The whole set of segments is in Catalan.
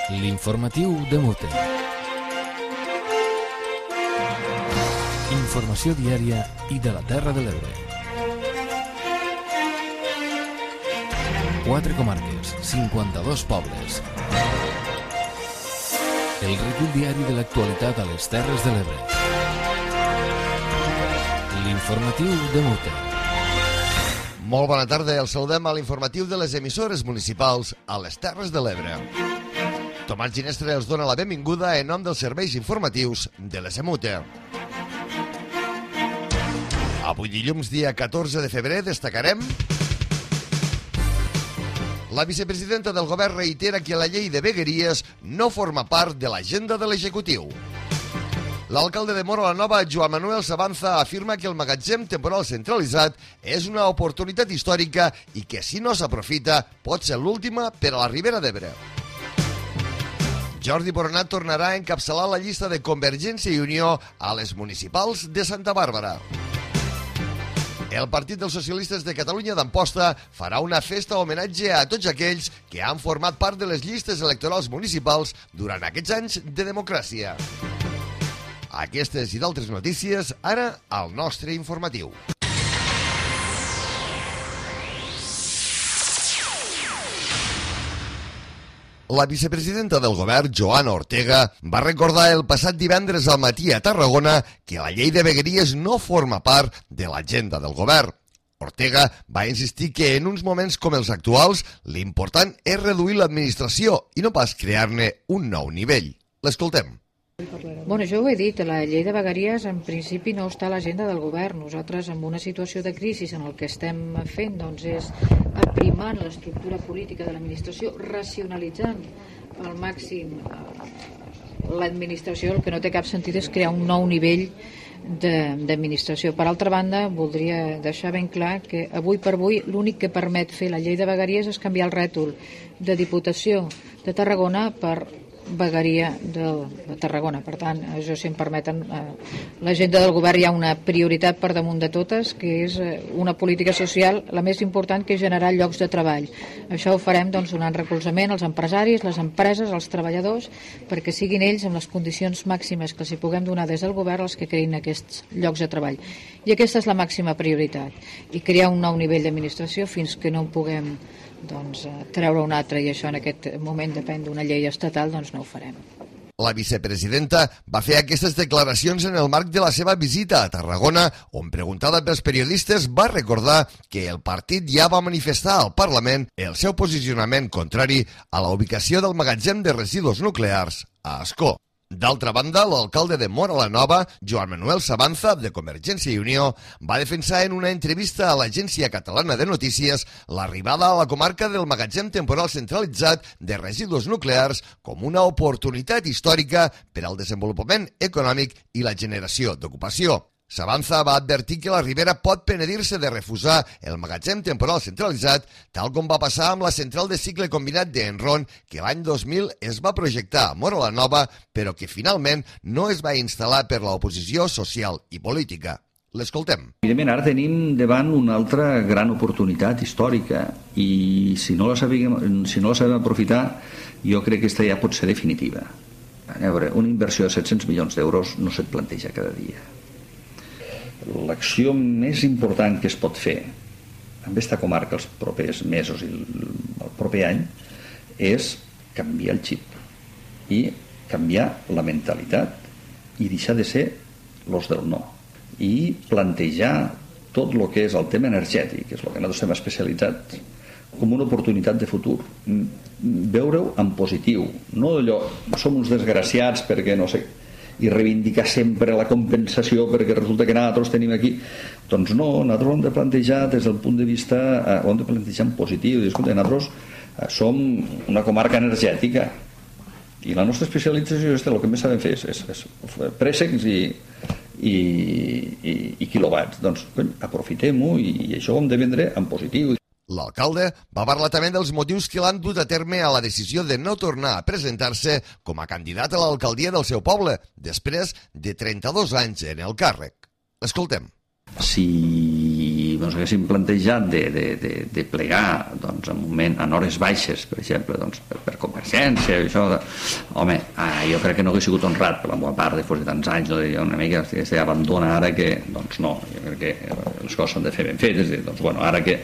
L'informatiu de Mute. Informació diària i de la Terra de l'Ebre. 4 comarques, 52 pobles. El recull diari de l'actualitat a les Terres de l'Ebre. L'informatiu de Mute. Molt bona tarda, els saludem a l'informatiu de les emissores municipals a les Terres de l'Ebre. Tomàs Ginestre els dona la benvinguda en nom dels serveis informatius de l'ESEMUTE. Avui dilluns, dia 14 de febrer, destacarem: la vicepresidenta del govern reitera que la llei de vegueries no forma part de l'agenda de l'executiu. L'alcalde de Móra la Nova, Joan Manuel Sabanza, afirma que el magatzem temporal centralitzat és una oportunitat històrica i que, si no s'aprofita, pot ser l'última per a la Ribera d'Ebre. Jordi Boronat tornarà a encapçalar la llista de Convergència i Unió a les municipals de Santa Bàrbara. El Partit dels Socialistes de Catalunya d'Amposta farà una festa homenatge a tots aquells que han format part de les llistes electorals municipals durant aquests anys de democràcia. Aquestes i d'altres notícies, ara al nostre informatiu. La vicepresidenta del govern, Joana Ortega, va recordar el passat divendres al matí a Tarragona que la llei de vegueries no forma part de l'agenda del govern. Ortega va insistir que en uns moments com els actuals l'important és reduir l'administració i no pas crear-ne un nou nivell. L'escoltem. Bueno, jo ho he dit, la llei de vegueries en principi no està a l'agenda del govern. Nosaltres, en una situació de crisi en el que estem fent, doncs, és aprimant l'estructura política de l'administració, racionalitzant al màxim l'administració. El que no té cap sentit és crear un nou nivell d'administració. Per altra banda, voldria deixar ben clar que avui per avui l'únic que permet fer la llei de vegueries és canviar el rètol de Diputació de Tarragona per vegueria de Tarragona. Per tant, això, si em permeten, l'agenda del govern hi ha una prioritat per damunt de totes, que és una política social, la més important, que és generar llocs de treball. Això ho farem, doncs, donant recolzament als empresaris, les empreses, als treballadors, perquè siguin ells, amb les condicions màximes que els hi puguem donar des del govern, els que creïn aquests llocs de treball. I aquesta és la màxima prioritat. I crear un nou nivell d'administració fins que no en puguem treure un altre, i això en aquest moment depèn d'una llei estatal, doncs no ho farem. La vicepresidenta va fer aquestes declaracions en el marc de la seva visita a Tarragona, on, preguntada pels periodistes, va recordar que el partit ja va manifestar al Parlament el seu posicionament contrari a la ubicació del magatzem de residus nuclears a Ascó. D'altra banda, l'alcalde de Móra la Nova, Joan Manuel Sabanza, de Convergència i Unió, va defensar en una entrevista a l'Agència Catalana de Notícies l'arribada a la comarca del magatzem temporal centralitzat de residus nuclears com una oportunitat històrica per al desenvolupament econòmic i la generació d'ocupació. Sabanza va advertir que la Ribera pot penedir-se de refusar el magatzem temporal centralitzat, tal com va passar amb la central de cicle combinat d'Enron, que l'any 2000 es va projectar a Móra la Nova, però que finalment no es va instal·lar per l'oposició social i política. L'escoltem. Evidentment, ara tenim davant una altra gran oportunitat històrica i si no la sabem aprofitar, jo crec que aquesta ja pot ser definitiva. A veure, una inversió de 700 milions d'euros no se't planteja cada dia. L'acció més important que es pot fer amb aquesta comarca els propers mesos i el proper any és canviar el xip i canviar la mentalitat i deixar de ser los del no i plantejar tot el que és el tema energètic, que és el que nosaltres estem especialitzats, com una oportunitat de futur, veure-ho en positiu, no allò som uns desgraciats perquè no sé, i reivindicar sempre la compensació perquè resulta que nosaltres tenim aquí. Doncs no, nosaltres ho hem de plantejar des del punt de vista, ho hem de plantejar en positiu. Escolta, nosaltres som una comarca energètica i la nostra especialització és el que més sabem fer és préssecs i quilowatts. Doncs aprofitem-ho i això ho hem de vendre en positiu. L'alcalde va parlar també dels motius que l'han dut a terme a la decisió de no tornar a presentar-se com a candidat a l'alcaldia del seu poble, després de 32 anys en el càrrec. Escoltem. Si ens haguéssim plantejat de plegar en hores baixes, per exemple, per Convergència, això, home, jo crec que no hauria sigut honrat per la meva part, després de tants anys, una mica s'abandona ara que, doncs no, jo crec que les coses s'han de fer ben fetes, doncs bueno, ara que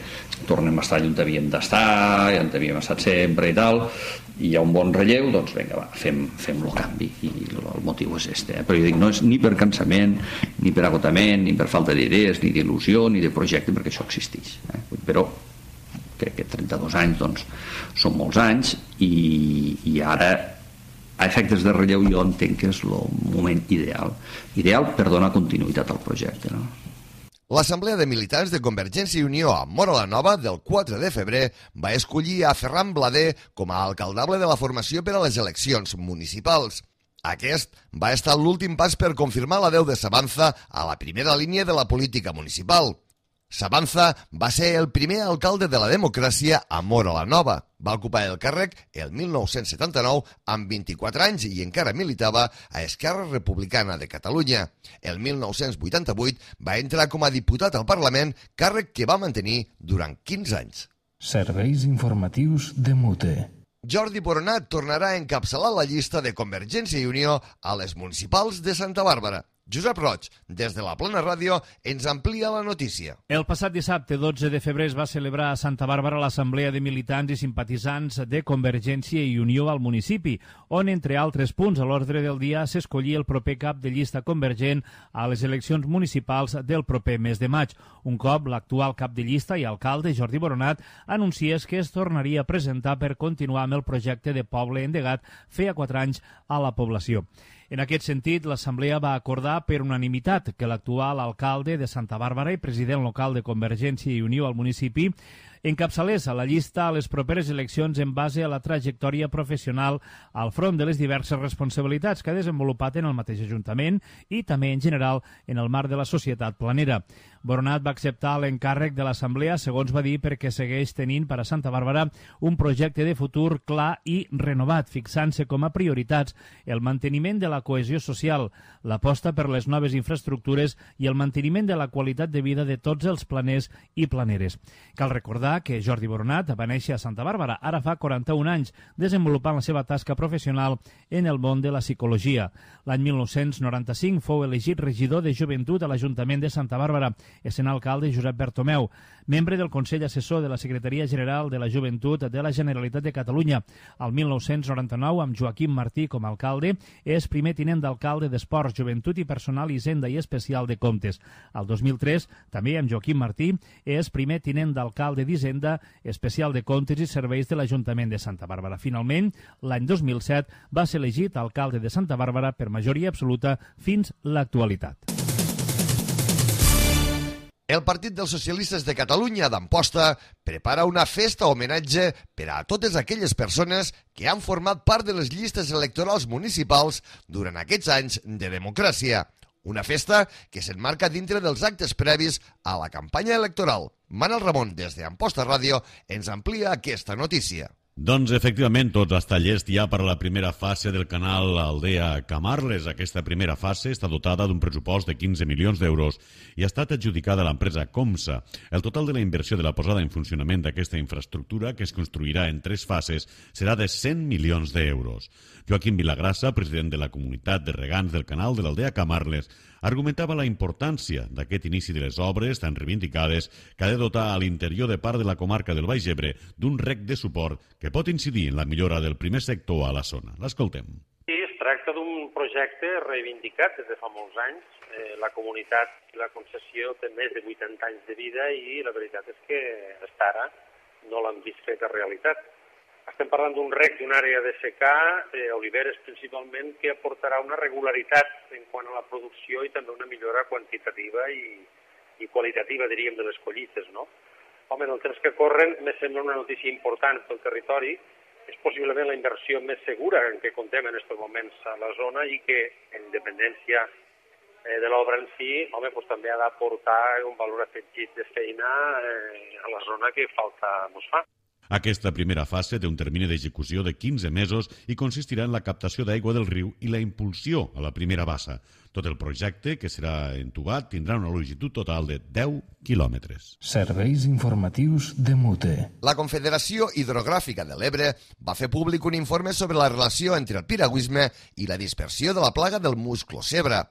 tornem a estar on havíem d'estar, ja on havíem estat sempre i tal, i hi ha un bon relleu, doncs vinga, va, fem el canvi, i el motiu és este, però jo dic, no és ni per cansament, ni per agotament, ni per falta d'idees, ni d'il·lusió, ni de projecte, perquè això existeix, però crec que 32 anys doncs, són molts anys, i ara a efectes de relleu jo entenc que és el moment ideal per donar continuïtat al projecte, no? L'Assemblea de Militants de Convergència i Unió a Móra la Nova del 4 de febrer va escollir a Ferran Blader com a alcaldable de la formació per a les eleccions municipals. Aquest va estar l'últim pas per confirmar l'adeu de Sabanza a la primera línia de la política municipal. Sabanza va ser el primer alcalde de la democràcia a Móra la Nova. Va ocupar el càrrec el 1979 amb 24 anys i encara militava a Esquerra Republicana de Catalunya. El 1988 va entrar com a diputat al Parlament, càrrec que va mantenir durant 15 anys. Serveis informatius de Mute. Jordi Boronat tornarà a encapçalar la llista de Convergència i Unió a les municipals de Santa Bàrbara. Josep Roig, des de la Plana Ràdio, ens amplia la notícia. El passat dissabte, 12 de febrer, es va celebrar a Santa Bàrbara l'Assemblea de Militants i Simpatitzants de Convergència i Unió al municipi, on, entre altres punts, a l'ordre del dia s'escollia el proper cap de llista convergent a les eleccions municipals del proper mes de maig. Un cop l'actual cap de llista i alcalde, Jordi Boronat, anunciés que es tornaria a presentar per continuar amb el projecte de poble endegat feia 4 anys a la població. En aquest sentit, l'Assemblea va acordar per unanimitat que l'actual alcalde de Santa Bàrbara i president local de Convergència i Unió al municipi encapçalés a la llista a les properes eleccions en base a la trajectòria professional al front de les diverses responsabilitats que ha desenvolupat en el mateix Ajuntament i també en general en el marc de la societat planera. Boronat va acceptar l'encàrrec de l'Assemblea, segons va dir, perquè segueix tenint per a Santa Bàrbara un projecte de futur clar i renovat, fixant-se com a prioritats el manteniment de la cohesió social, l'aposta per les noves infraestructures i el manteniment de la qualitat de vida de tots els planers i planeres. Cal recordar que Jordi Boronat va néixer a Santa Bàrbara, ara fa 41 anys, desenvolupant la seva tasca professional en el món de la psicologia. L'any 1995 fou elegit regidor de joventut a l'Ajuntament de Santa Bàrbara, essent alcalde Josep Bertomeu, membre del Consell Assessor de la Secretaria General de la Joventut de la Generalitat de Catalunya. Al 1999, amb Joaquim Martí com a alcalde, és primer tinent d'alcalde d'Esports, Joventut i Personal, Hisenda i Especial de Comptes. Al 2003, també amb Joaquim Martí, és primer tinent d'alcalde d'Hisenda, Especial de Comptes i Serveis de l'Ajuntament de Santa Bàrbara. Finalment, l'any 2007, va ser elegit alcalde de Santa Bàrbara per majoria absoluta fins l'actualitat. El Partit dels Socialistes de Catalunya d'Amposta prepara una festa homenatge per a totes aquelles persones que han format part de les llistes electorals municipals durant aquests anys de democràcia. Una festa que s'enmarca dintre dels actes previs a la campanya electoral. Manel Ramon, des d'Amposta Ràdio, ens amplia aquesta notícia. Doncs, efectivament, tots els tallers ja per a la primera fase del canal Aldea Camarles. Aquesta primera fase està dotada d'un pressupost de 15 milions d'euros i ha estat adjudicada a l'empresa Comsa. El total de la inversió de la posada en funcionament d'aquesta infraestructura, que es construirà en 3 fases, serà de 100 milions d'euros. Joaquim Vilagrassa, president de la comunitat de regants del canal de l'Aldea Camarles, argumentava la importància d'aquest inici de les obres tan reivindicades que ha de dotar a l'interior de part de la comarca del Baix Ebre d'un rec de suport que pot incidir en la millora del primer sector a la zona. L'escoltem. Sí, es tracta d'un projecte reivindicat des de fa molts anys. La comunitat i la concessió té més de 80 anys de vida i la veritat és que fins ara no l'han vist feta realitat. Estem parlant d'un rec d'una àrea de secà, oliveres principalment, que aportarà una regularitat en quant a la producció i també una millora quantitativa i qualitativa, diríem, de les collites, no? Home, en el temps que corren, me sembla una notícia important pel territori. És possiblement la inversió més segura en què contem en aquests moments a la zona i que, en dependència de l'obra en si, home, doncs també ha d'aportar un valor afegit de feina a la zona que falta ens fa. Aquesta primera fase té un termini d'execució de 15 mesos i consistirà en la captació d'aigua del riu i la impulsió a la primera bassa. Tot el projecte, que serà entubat, tindrà una longitud total de 10 quilòmetres. Serveis informatius de Mute. La Confederació Hidrogràfica de l'Ebre va fer públic un informe sobre la relació entre el piragüisme i la dispersió de la plaga del musclo-zebra.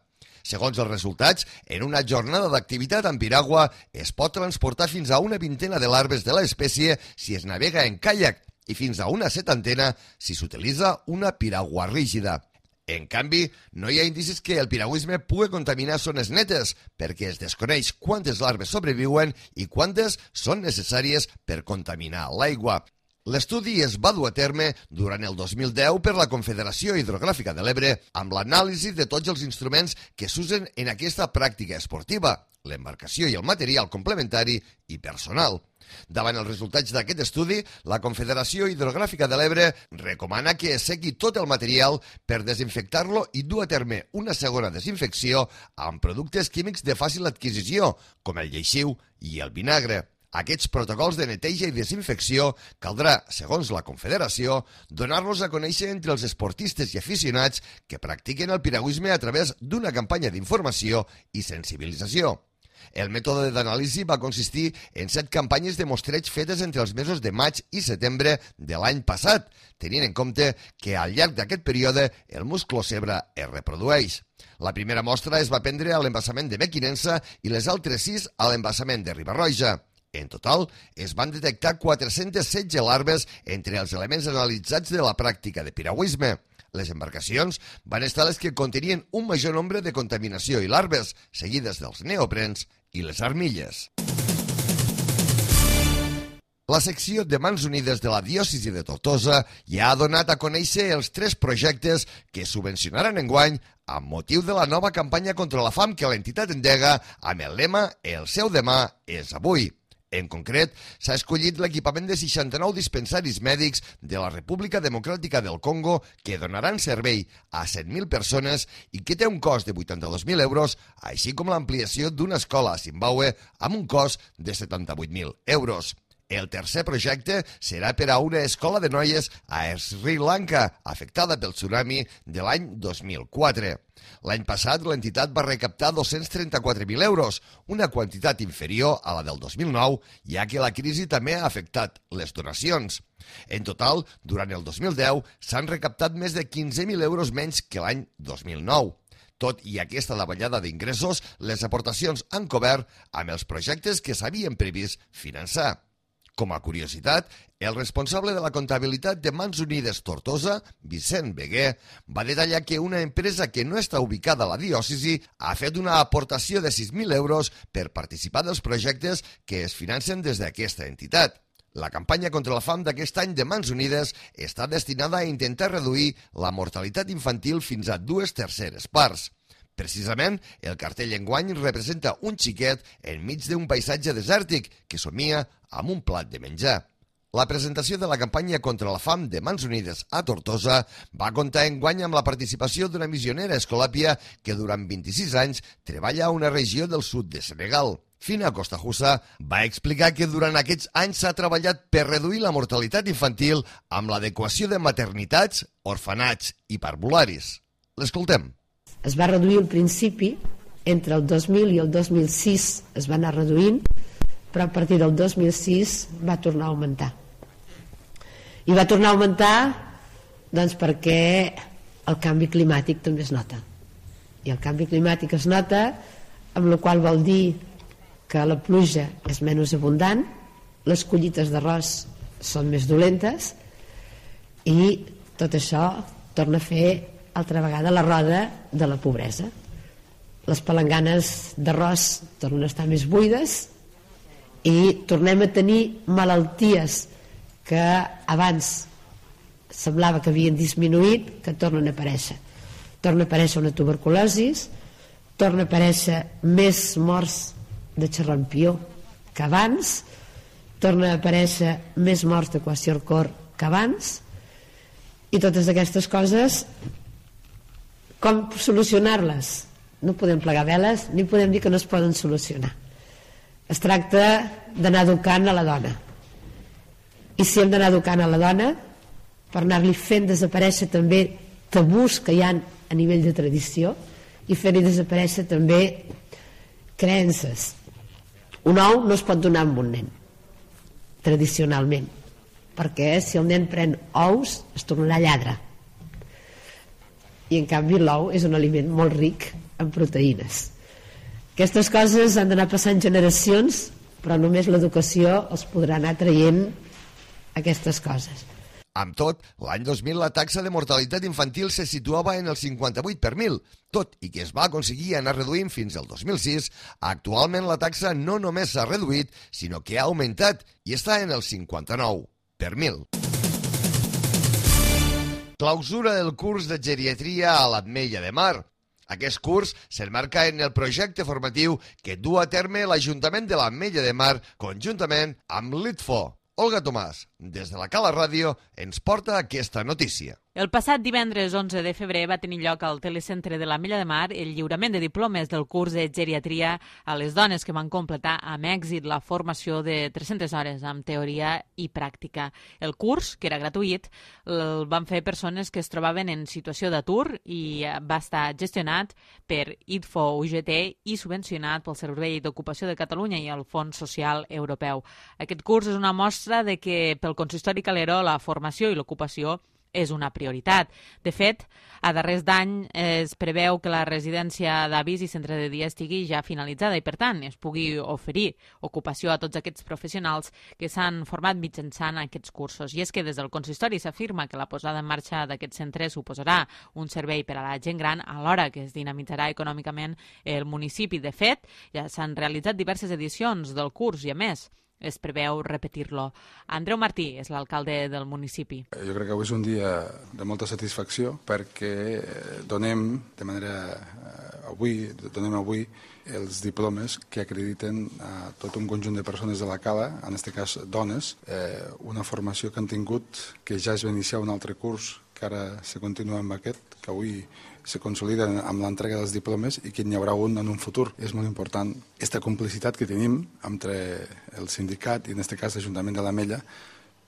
Segons els resultats, en una jornada d'activitat amb piragua es pot transportar fins a una vintena de larves de l'espècie si es navega en caiac i fins a una setantena si s'utilitza una piragua rígida. En canvi, no hi ha indicis que el piragüisme pugui contaminar zones netes, perquè es desconeix quantes larves sobreviuen i quantes són necessàries per contaminar l'aigua. L'estudi es va dur a terme durant el 2010 per la Confederació Hidrogràfica de l'Ebre amb l'anàlisi de tots els instruments que s'usen en aquesta pràctica esportiva, l'embarcació i el material complementari i personal. Davant els resultats d'aquest estudi, la Confederació Hidrogràfica de l'Ebre recomana que es segui tot el material per desinfectar-lo i dur a terme una segona desinfecció amb productes químics de fàcil adquisició, com el lleixiu i el vinagre. Aquests protocols de neteja i desinfecció caldrà, segons la Confederació, donar-los a conèixer entre els esportistes i aficionats que practiquen el piragüisme a través d'una campanya d'informació i sensibilització. El mètode d'anàlisi va consistir en 7 campanyes de mostreig fetes entre els mesos de maig i setembre de l'any passat, tenint en compte que al llarg d'aquest període el musclo-zebra es reprodueix. La primera mostra es va prendre a l'embassament de Mequinensa i les altres 6 a l'embassament de Riba-roja. En total, es van detectar 416 larves entre els elements analitzats de la pràctica de piragüisme. Les embarcacions van estar les que contenien un major nombre de contaminació i larves, seguides dels neoprens i les armilles. La secció de Mans Unides de la Diòcesi de Tortosa ja ha donat a conèixer els 3 projectes que subvencionaran enguany amb motiu de la nova campanya contra la fam que l'entitat endega amb el lema «El seu demà és avui». En concret, s'ha escollit l'equipament de 69 dispensaris mèdics de la República Democràtica del Congo que donaran servei a 100.000 persones i que té un cost de 82.000 euros, així com l'ampliació d'una escola a Zimbabue amb un cost de 78.000 euros. El tercer projecte serà per a una escola de noies a Sri Lanka, afectada pel tsunami de l'any 2004. L'any passat, l'entitat va recaptar 234.000 euros, una quantitat inferior a la del 2009, ja que la crisi també ha afectat les donacions. En total, durant el 2010, s'han recaptat més de 15.000 euros menys que l'any 2009. Tot i aquesta davallada d'ingressos, les aportacions han cobert amb els projectes que s'havien previst finançar. Com a curiositat, el responsable de la comptabilitat de Mans Unides Tortosa, Vicent Beguer, va detallar que una empresa que no està ubicada a la diòcesi ha fet una aportació de 6.000 euros per participar dels projectes que es financen des d'aquesta entitat. La campanya contra la fam d'aquest any de Mans Unides està destinada a intentar reduir la mortalitat infantil fins a 2/3 parts. Precisament, el cartell enguany representa un xiquet enmig d'un paisatge desèrtic que somia amb un plat de menjar. La presentació de la campanya contra la fam de Mans Unides a Tortosa va comptar enguany amb la participació d'una missionera escolàpia que durant 26 anys treballa a una regió del sud de Senegal. Fina Costajussa va explicar que durant aquests anys s'ha treballat per reduir la mortalitat infantil amb l'adequació de maternitats, orfenats i parvularis. L'escoltem. Es va reduir al principi, entre el 2000 i el 2006 es va anar reduint, però a partir del 2006 va tornar a augmentar. I va tornar a augmentar doncs, perquè el canvi climàtic també es nota. I el canvi climàtic es nota, amb la qual vol dir que la pluja és menys abundant, les collites d'arròs són més dolentes i tot això torna a fer altra vegada la roda de la pobresa. Les palanganes d'arròs tornen a estar més buides i tornem a tenir malalties que abans semblava que havien disminuït, que tornen a aparèixer. Torna a aparèixer una tuberculosi, torna a aparèixer més morts de xerrampió que abans, torna a aparèixer més morts de kwashiorkor que abans, i totes aquestes coses, com solucionar-les? No podem plegar veles ni podem dir que no es poden solucionar. Es tracta d'anar educant a la dona. i si hem d'anar educant a la dona per anar-li fent desaparèixer també tabús que hi ha a nivell de tradició i fer-hi desaparèixer també creences. Un ou no es pot donar a un nen tradicionalment, perquè si el nen pren ous es tornarà lladre, i en canvi l'ou és un aliment molt ric en proteïnes. Aquestes coses han d'anar passant generacions, però només l'educació els podrà anar traient aquestes coses. Amb tot, l'any 2000 la taxa de mortalitat infantil se situava en el 58 per 1.000, tot i que es va aconseguir anar reduint fins al 2006, actualment la taxa no només s'ha reduït, sinó que ha augmentat i està en el 59 per 1.000. Clausura del curs de geriatria a l'Ametlla de Mar. Aquest curs s'emmarca en el projecte formatiu que du a terme l'Ajuntament de l'Ametlla de Mar conjuntament amb l'ITFO. Olga Tomàs, des de la Cala Ràdio, ens porta aquesta notícia. El passat divendres 11 de febrer va tenir lloc al Telecentre de l'Ametlla de Mar el lliurament de diplomes del curs de geriatria a les dones que van completar amb èxit la formació de 300 hores amb teoria i pràctica. El curs, que era gratuït, el van fer persones que es trobaven en situació d'atur i va estar gestionat per ITFO UGT i subvencionat pel Servei d'Ocupació de Catalunya i el Fons Social Europeu. Aquest curs és una mostra de que pel consistori Calero la formació i l'ocupació és una prioritat. De fet, a darrers d'any es preveu que la residència d'avis i centre de dia estigui ja finalitzada i, per tant, es pugui oferir ocupació a tots aquests professionals que s'han format mitjançant aquests cursos. I és que des del consistori s'afirma que la posada en marxa d'aquest centre suposarà un servei per a la gent gran alhora que es dinamitzarà econòmicament el municipi. De fet, ja s'han realitzat diverses edicions del curs i, a més, es preveu repetir-lo. Andreu Martí és l'alcalde del municipi. Jo crec que avui és un dia de molta satisfacció perquè donem avui els diplomes que acrediten a tot un conjunt de persones de la Cala, en aquest cas dones, una formació que han tingut, que ja es va iniciar un altre curs, que ara se continua amb aquest, que avui se consoliden amb l'entrega dels diplomes i que n'hi haurà un en un futur. És molt important aquesta complicitat que tenim entre el sindicat i en aquest cas l'Ajuntament de l'Ametlla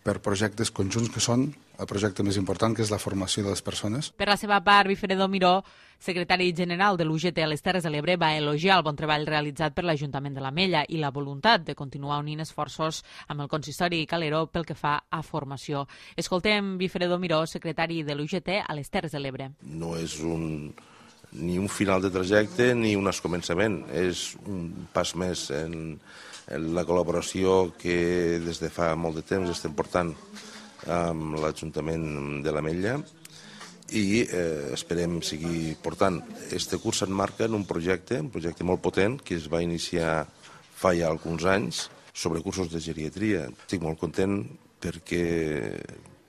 per projectes conjunts que són el projecte més important, que és la formació de les persones. Per la seva part, Wilfredo Miró, secretari general de l'UGT a les Terres de l'Ebre, va elogiar el bon treball realitzat per l'Ajuntament de l'Ametlla i la voluntat de continuar unint esforços amb el consistori Calero pel que fa a formació. Escoltem Wilfredo Miró, secretari de l'UGT a les Terres de l'Ebre. No és ni un final de trajecte ni un començament, és un pas més en la col·laboració que des de fa molt de temps estem portant amb l'Ajuntament de l'Ametlla i esperem seguir portant. Este curs s'emmarca en un projecte molt potent que es va iniciar fa ja alguns anys sobre cursos de geriatria. Estic molt content perquè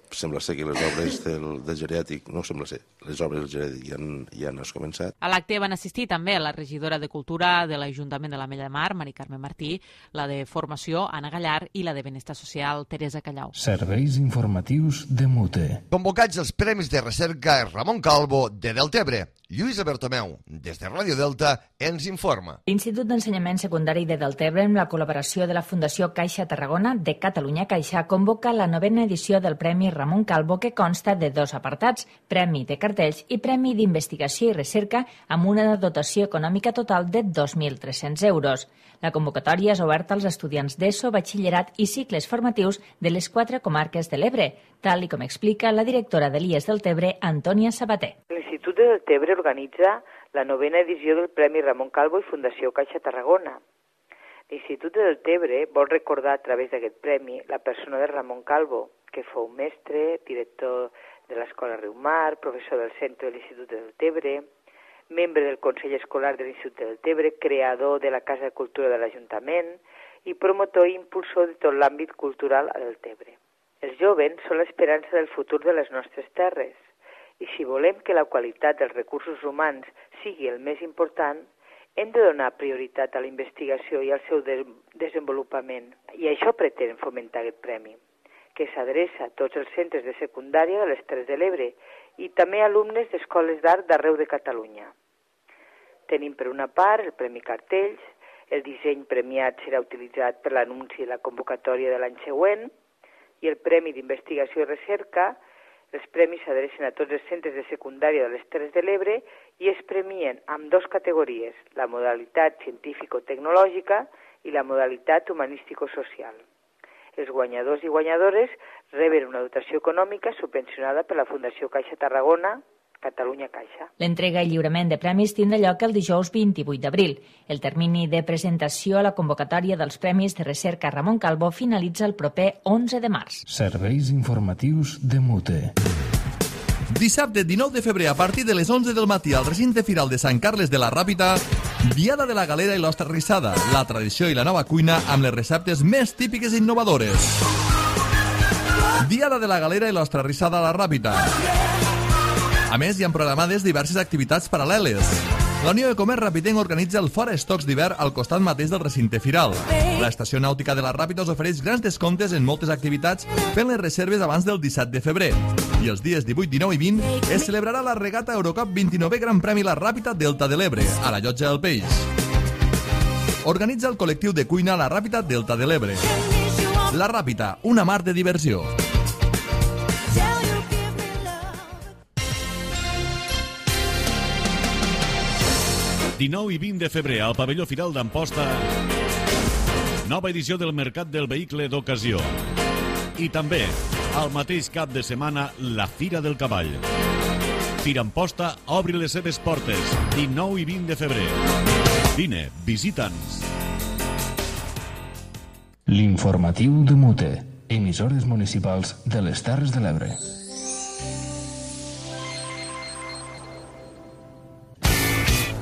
sembla ser que les obres del geriàtric, no sembla ser, les obres del geriàtric ja han començat. A l'acte van assistir també la regidora de Cultura de l'Ajuntament de l'Ametlla de Mar, Mari Carme Martí, la de Formació, Anna Gallar, i la de Benestar Social, Teresa Callau. Serveis informatius de Mute. Convocats els Premis de Recerca Ramon Calvo de Deltebre. Lluïsa Bertomeu, des de Ràdio Delta, ens informa. L'Institut d'Ensenyament Secundari de Deltebre, amb la col·laboració de la Fundació Caixa Tarragona de Catalunya Caixa, convoca la 9ª edició del Premi Ramon Calvo, que consta de 2 apartats, Premi de Cartells i Premi d'Investigació i Recerca, amb una dotació econòmica total de 2.300 euros. La convocatòria és oberta als estudiants d'ESO, batxillerat i cicles formatius de les 4 comarques de l'Ebre, tal com explica la directora de l'IES Deltebre, Antònia Sabater. L'Institut de Deltebre organitza la 9ª edició del Premi Ramon Calvo i Fundació Caixa Tarragona. L'Institut de Deltebre vol recordar a través d'aquest premi la persona de Ramon Calvo, que fou mestre, director de l'Escola Riumar, professor del centre de l'Institut de Deltebre, membre del Consell Escolar de l'Institut de Deltebre, creador de la Casa de Cultura de l'Ajuntament i promotor i impulsor de tot l'àmbit cultural a Deltebre. Els jovens són l'esperança del futur de les nostres terres i si volem que la qualitat dels recursos humans sigui el més important, hem de donar prioritat a la investigació i al seu desenvolupament. I això pretén fomentar aquest premi, que s'adreça a tots els centres de secundària de les Terres de l'Ebre i també a alumnes d'escoles d'art d'arreu de Catalunya. Tenim per una part el Premi Cartells, el disseny premiat serà utilitzat per l'anunci i la convocatòria de l'any següent, i el Premi d'Investigació i Recerca. Els premis s'adrecen a tots els centres de secundària de les Terres de l'Ebre i es premien amb 2 categories, la modalitat científico-tecnològica i la modalitat humanístico-social. Els guanyadors i guanyadores reben una dotació econòmica subvencionada per la Fundació Caixa Tarragona, Catalunya Caixa. L'entrega i lliurament de premis tindrà lloc el dijous 28 d'abril. El termini de presentació a la convocatòria dels Premis de Recerca Ramon Calvo finalitza el proper 11 de març. Serveis informatius de Mute. Dissabte 19 de febrer a partir de les 11 del matí al recinte firal de Sant Carles de la Ràpita, Diada de la Galera i l'Ostra Rissada, la tradició i la nova cuina amb les receptes més típiques i innovadores. Diada de la Galera i l'Ostra Rissada a la Ràpita. A més, hi ha programades diverses activitats paral·leles. La Unió de Comerç Rapitenc organitza el Fora Estocs d'hivern al costat mateix del recinte firal. L'Estació Nàutica de la Ràpita us ofereix grans descomptes en moltes activitats fent les reserves abans del 17 de febrer. I els dies 18, 19 i 20 es celebrarà la regata Eurocup 29è Gran Premi La Ràpita Delta de l'Ebre, a la Llotja del Peix. Organitza el col·lectiu de cuina La Ràpita Delta de l'Ebre. La Ràpita, una mar de diversió. El 19 i 20 de febrer al pavelló Firal d'Amposta, nova edició del Mercat del Vehicle d'Ocasió. I també, al mateix cap de setmana, la Fira del Cavall. Fira Amposta obri les seves portes, 19 i 20 de febrer. Vine, visita'ns. L'informatiu de Mute, emissores municipals de les Terres de l'Ebre.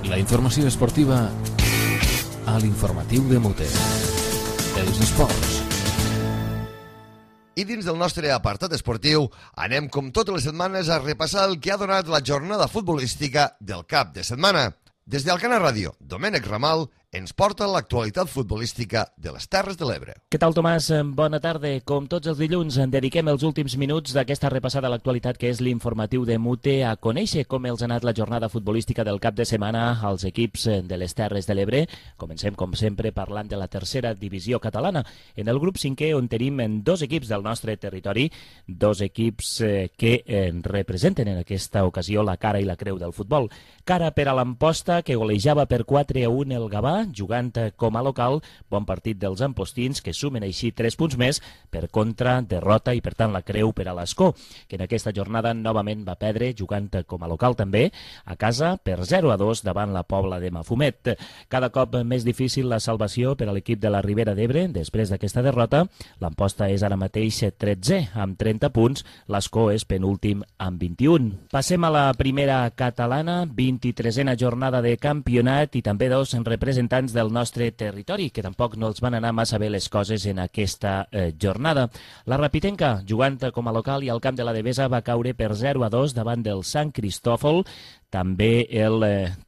La informació esportiva a l'informatiu de Mute. Els esports. I dins del nostre apartat esportiu anem com totes les setmanes a repassar el que ha donat la jornada futbolística del cap de setmana. Des d'Alcana Ràdio, Domènec Ramal ens porta l'actualitat futbolística de les Terres de l'Ebre. Què tal, Tomàs? Bona tarda. Com tots els dilluns, en dediquem els últims minuts d'aquesta repassada a l'actualitat que és l'informatiu de Mute a conèixer com els ha anat la jornada futbolística del cap de setmana als equips de les Terres de l'Ebre. Comencem, com sempre, parlant de la tercera divisió catalana. En el grup 5è, on tenim 2 equips del nostre territori, 2 equips que representen en aquesta ocasió la cara i la creu del futbol. Cara per a l'Amposta, que golejava per 4-1 el Gavà, jugant com a local. Bon partit dels ampostins, que sumen així 3 punts més. Per contra, derrota i per tant la creu per a l'Escó, que en aquesta jornada novament va perdre, jugant com a local també, a casa per 0-2 davant la Pobla de Mafumet. Cada cop més difícil la salvació per a l'equip de la Ribera d'Ebre després d'aquesta derrota. L'Amposta és ara mateix 13è amb 30 punts, l'Escó és penúltim amb 21. Passem a la primera catalana, 23a jornada de campionat i també 2 representants del nostre territori, que tampoc no els van anar massa bé les coses en aquesta jornada. La Rapitenca, jugant com a local i al camp de la Devesa, va caure per 0-2 davant del Sant Cristòfol. També el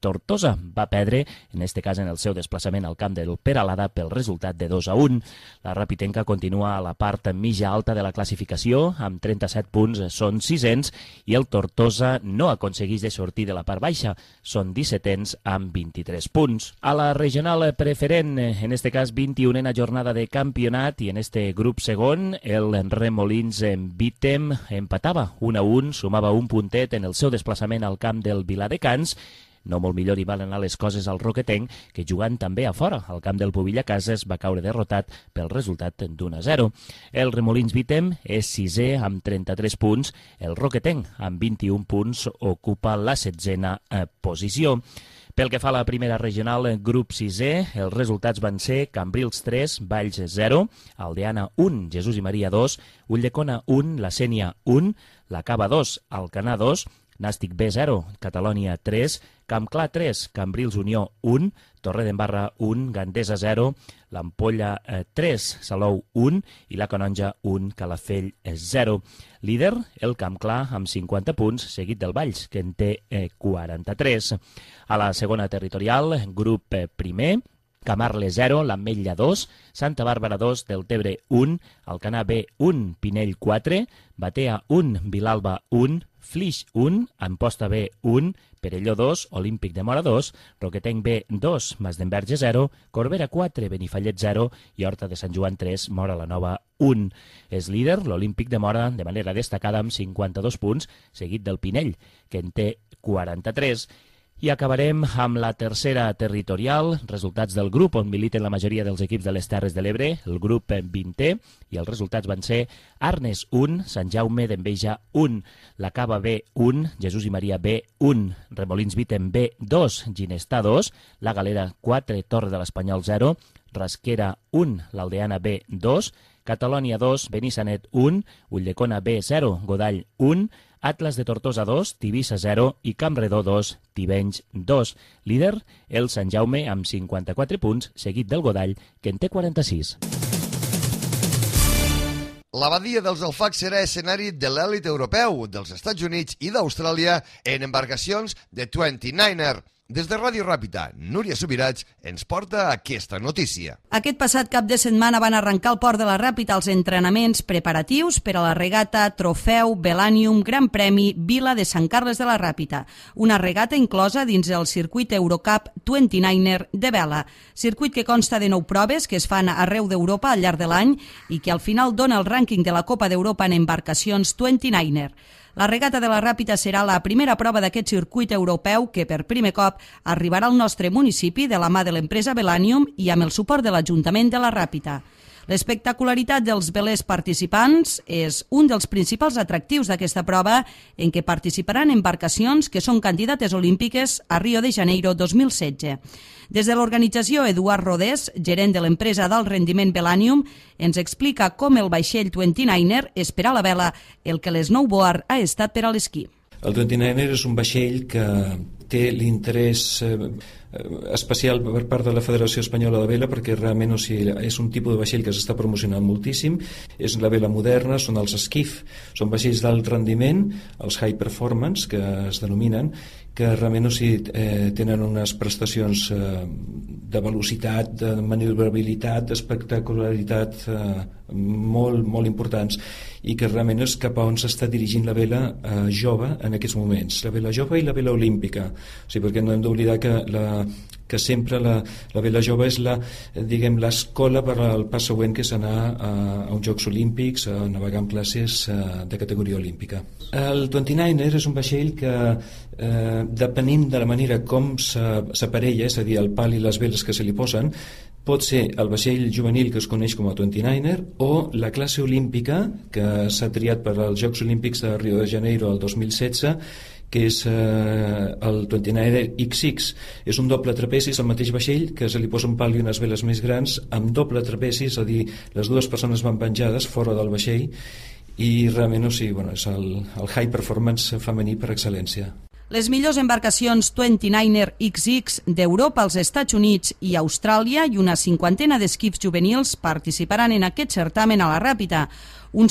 Tortosa va perdre, en aquest cas en el seu desplaçament al camp del Peralada, pel resultat de 2-1. La Rapitenca continua a la part mitja alta de la classificació, amb 37 punts, són 600, i el Tortosa no aconsegueix de sortir de la part baixa, són 17ens amb 23 punts. A la regional preferent, en aquest cas 21a jornada de campionat, i en este grup segon, el Remolins Vitem empatava 1-1, sumava un puntet en el seu desplaçament al camp del Viladecans. No molt millor hi van anar les coses al Roquetenc, que jugant també a fora, al camp del Pobilla Cases, va caure derrotat pel resultat d'1-0. El Remolins Vitem és 6è amb 33 punts. El Roquetenc, amb 21 punts, ocupa la 16a posició. Pel que fa a la primera regional, grup 6è, els resultats van ser Cambrils 3, Valls 0, Aldeana 1, Jesús i Maria 2, Ulldecona 1, La Sénia 1, La Cava 2, Alcanar 2, Nàstic B 0, Catalònia 3, Campclar 3, Cambrils Unió 1, Torredembarra 1, Gandesa 0, l'Ampolla 3, Salou 1 i la Canonja 1, Calafell 0. Líder, el Campclar amb 50 punts, seguit del Valls, que en té 43. A la segona territorial, grup primer, Camarles 0, l'Ametlla 2, Santa Bàrbara 2, Deltebre 1, Alcanar B 1, Pinell 4, Batea 1, Vilalba 1, Flix 1, Amposta B 1, Perelló 2, Olímpic de Móra 2, Roquetenc B 2, Masdenverge 0, Corbera 4, Benifallet 0 i Horta de Sant Joan 3, Móra la Nova 1. És líder l'Olímpic de Móra de manera destacada amb 52 punts, seguit del Pinell, que en té 43. I acabarem amb la tercera territorial, resultats del grup on militen la majoria dels equips de les Terres de l'Ebre, el grup 20è, i els resultats van ser Arnes 1, Sant Jaume d'Enveja 1, la Cava B 1, Jesús i Maria B 1, Remolins Vitem B 2, Ginestà 2, la Galera 4, Torre de l'Espanyol 0, Rasquera 1, l'Aldeana B 2, Catalònia 2, Benissanet 1, Ulldecona B 0, Godall 1, Atlas de Tortosa 2, Tivissa 0 i Campredó 2, Tivenys 2. Líder, el Sant Jaume amb 54 punts, seguit del Godall, que en té 46. La badia dels Alfacs serà escenari de l'èlit europeu dels Estats Units i d'Austràlia en embarcacions de 29er. Des de Ràdio Ràpita, Núria Subirats ens porta aquesta notícia. Aquest passat cap de setmana van arrencar al Port de la Ràpita els entrenaments preparatius per a la regata Trofeu Belanium Gran Premi Vila de Sant Carles de la Ràpita, una regata inclosa dins el circuit Eurocup 29er de vela, circuit que consta de 9 proves que es fan arreu d'Europa al llarg de l'any i que al final dona el rànquing de la Copa d'Europa en embarcacions 29er. La regata de la Ràpita serà la primera prova d'aquest circuit europeu que per primer cop arribarà al nostre municipi de la mà de l'empresa Belanium i amb el suport de l'Ajuntament de la Ràpita. L'espectacularitat dels velers participants és un dels principals atractius d'aquesta prova en què participaran embarcacions que són candidates olímpiques a Rio de Janeiro 2016. Des de l'organització, Eduard Rodés, gerent de l'empresa d'alt rendiment Belanium, ens explica com el vaixell 29er és per a la vela el que l'snowboard ha estat per a l'esquí. El 29er és un vaixell que té l'interès especial per part de la Federació Espanyola de Vela perquè realment és un tipus de vaixell que s'està promocionant moltíssim, és la vela moderna, són els skiff, són vaixells d'alt rendiment, els high performance que es denominen, que realment tenen unes prestacions de velocitat, de maniobrabilitat, d'espectacularitat molt, molt importants i que realment és cap a on s'està dirigint la vela jove en aquests moments, la vela jove i la vela olímpica, perquè no hem d'oblidar que sempre la vela jove és l'escola per al pas següent que és anar a uns Jocs Olímpics, a navegar en classes de categoria olímpica. El 29er és un vaixell que depenent de la manera com s'aparella, és a dir, el pal i les veles que se li posen, pot ser el vaixell juvenil que es coneix com a 29er o la classe olímpica que s'ha triat per als Jocs Olímpics de Rio de Janeiro el 2016, que és el 29er XX. És un doble trapeci, és el mateix vaixell que se li posa un pal i unes veles més grans amb doble trapeci, és a dir, les dues persones van penjades fora del vaixell i realment és el high performance femení per excel·lència. Les millors embarcacions 29er XX d'Europa, als Estats Units i Austràlia i una cinquantena d'esquips juvenils participaran en aquest certamen a la Ràpita,